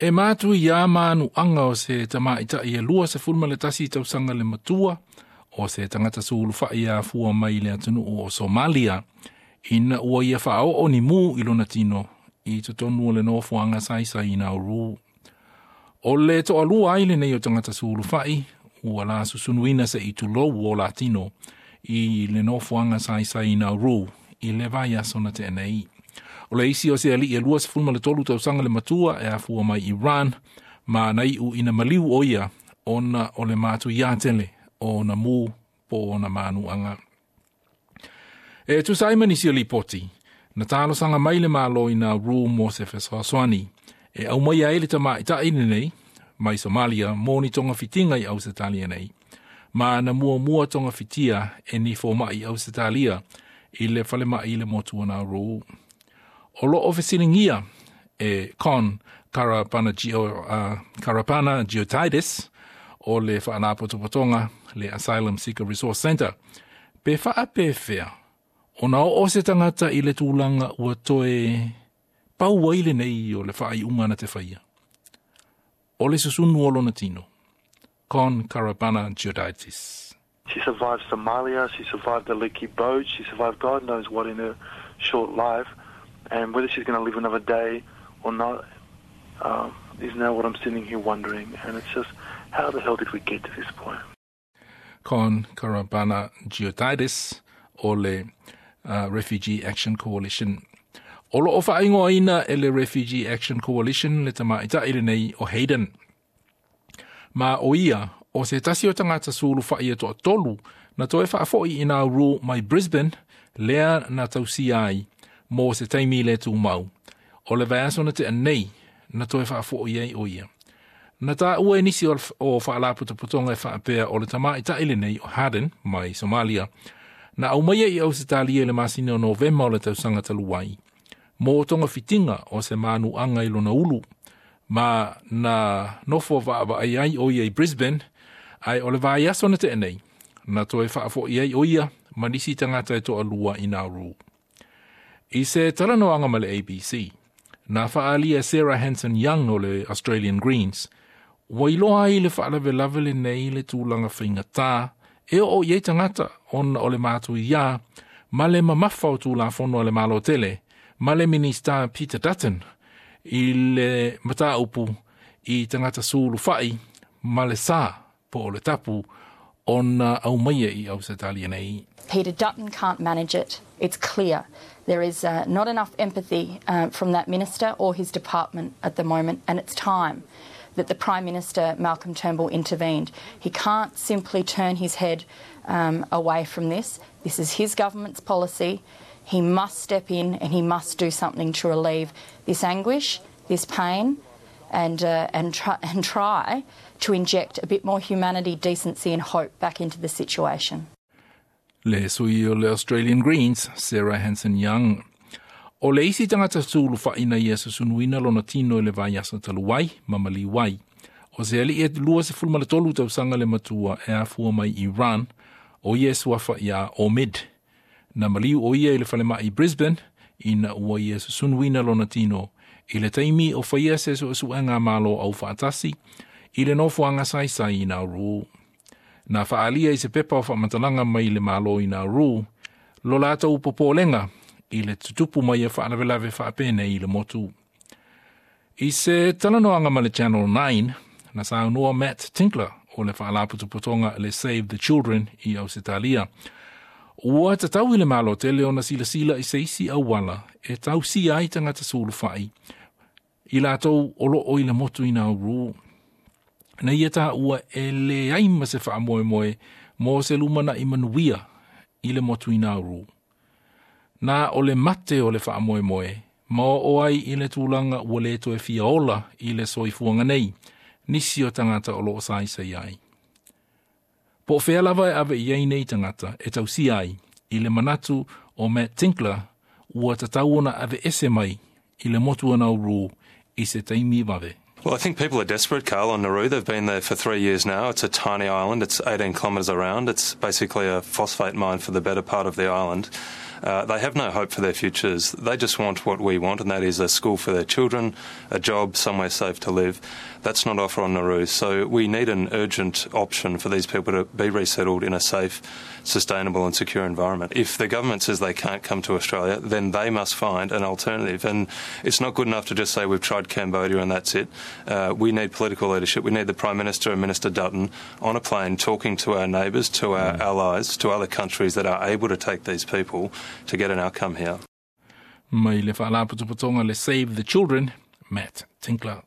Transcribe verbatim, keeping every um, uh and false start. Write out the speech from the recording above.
E matu ia manuaga o se tamaita'i e lua sefulu ma le tasi tausaga le matua o se tagata sulufai afua mai le atunuu o Somalia ina ua ia faaoo ni mu i lona tino i totonu o le nofoaga saisai i Nauru. O le toalua ai lenei o tagata sulufai ua la susunuina se itulou o latino i le nofoaga saisai i Nauru i le vaiaso na tea nei. O le isi o se alii e lua sefulu ma le tolu tausaga le matua e afua mai Iran ma na iu ina maliu o ia ona o le matuia tele o na mu po o na manuaga. E tusa ai ma nisi o lipoti, na talosaga mai le Malo i Nauru mo se fesoasoani e aumaia ai le tamaita'i lenei mai Somalia mo ni togafitiga i Ausetalia nei. Ma na muamua togafitia e ni foma'i Ausetalia i le falema'i i le motu o Nauru. O loo fesiligia e Kon Karapanagio, uh, Karapanagiotidis o le faalapotopotoga le Asylum Seeker Resource Centre pe faapefea ona oo se tagata i le tulaga ua toe pau ai lenei o le faaiuga na te faia. O le susunu o lona tino. Kon Karapanagiotidis. She survived Somalia, she survived the leaky boat, she survived God knows what in her short life. And whether she's going to live another day or not um, is now what I'm sitting here wondering. And it's just, how the hell did we get to this point? Kon Karapanagiotidis o le uh, Refugee Action Coalition. O loo faaigoaina e le Refugee Action Coalition le tamaita'i lenei o Hayden. Ma o ia, o se tasi o tagata sulufai e toatolu na toe faafoi i Nauru mai Brisbane lea na tausia ai mo se taimi le tumau. O le vaiaso na tea nei na toe faafoi ai o ia. Na taua e nisi o, o faalapotopotoga e faapea o le tamaita'i lenei o Haden mai Somalia na aumaia i Ausetalia i le masina o Novema o le tausaga talu ai mo togafitiga o se manuaga i lona ulu ma na nofo vaavaai ai o ia i Brisbane ae o le vaiaso na tea nei na toe faafoi ai o ia ma nisi tagata e toalua i Nauru. I se talanoaga ma le A B C, na faalia Sarah Hanson Young o le Australian Greens, ua iloa ai le faalavelave lenei le tulaga faigata e oo i ai tagata ona o le matuia ma le mamafa o tulafono a le Malo tele ma le Minista Peter Dutton i le mataupu i tagata sulufai ma le sa po o le tapu ona aumaia i Ausetalia nei. Peter Dutton can't manage it. It's clear. There is uh, not enough empathy uh, from that minister or his department at the moment, and it's time that the Prime Minister, Malcolm Turnbull, intervened. He can't simply turn his head um, away from this. This is his government's policy. He must step in and he must do something to relieve this anguish, this pain, and, uh, and, try, and try to inject a bit more humanity, decency, and hope back into the situation. Le sui o le Australian Greens, Sarah Hanson Young. O le isi tagata sulufai na ia susunuina lona tino i le vaiaso talu ai, ma maliu ai. O se alii e lua sefulu ma le tolu tausaga le matua e afua mai Iran, o ia suafa ia Omid. Na maliu o ia i le falema'i Brisbane, ina ua ia susunuina lona tino i le taimi o faia se suesuega malo au faatasi i le nofoaga saisai i Nauru. Na faalia i se pepa o faamatalaga mai le Malo i Nauru, lo latou popolega i le tutupu mai e faalavelave faapenei i le motu. I se talanoaga ma le Channel nine, na saunoa Matt Tinkler o le faalapotopotoga le Save the Children i Ausetalia. Ua tatau i le Malo tele ona silasila i se isi auala e tausia ai tagata sulufai i latou o loo i le motu i Nauru. Na ia taua e leai ma se faamoemoe mo se lumanai manuia i le motu i Nauru. Na o le mate o le faamoemoe, ma o ai i le tulaga ua le toe fia ola i le soifuaga nei, nisi o tagata o loo saisai ai. Po o fea lava e ave i ai nei tagata e tausia ai, i le manatu o Matt Tinkler ua tatau ona aveese mai i le motu o Nauru i se taimi vave. Well, I think people are desperate, Carl, on Nauru. They've been there for three years now. It's a tiny island. It's eighteen kilometres around. It's basically a phosphate mine for the better part of the island. Uh, they have no hope for their futures. They just want what we want, and that is a school for their children, a job, somewhere safe to live. That's not offered on Nauru. So we need an urgent option for these people to be resettled in a safe, sustainable and secure environment. If the government says they can't come to Australia, then they must find an alternative. And it's not good enough to just say we've tried Cambodia and that's it. Uh, we need political leadership. We need the Prime Minister and Minister Dutton on a plane talking to our neighbours, to our mm. allies, to other countries that are able to take these people to get an outcome here. Mai le Faalapotopotoga le Save the Children, Matt Tinkler.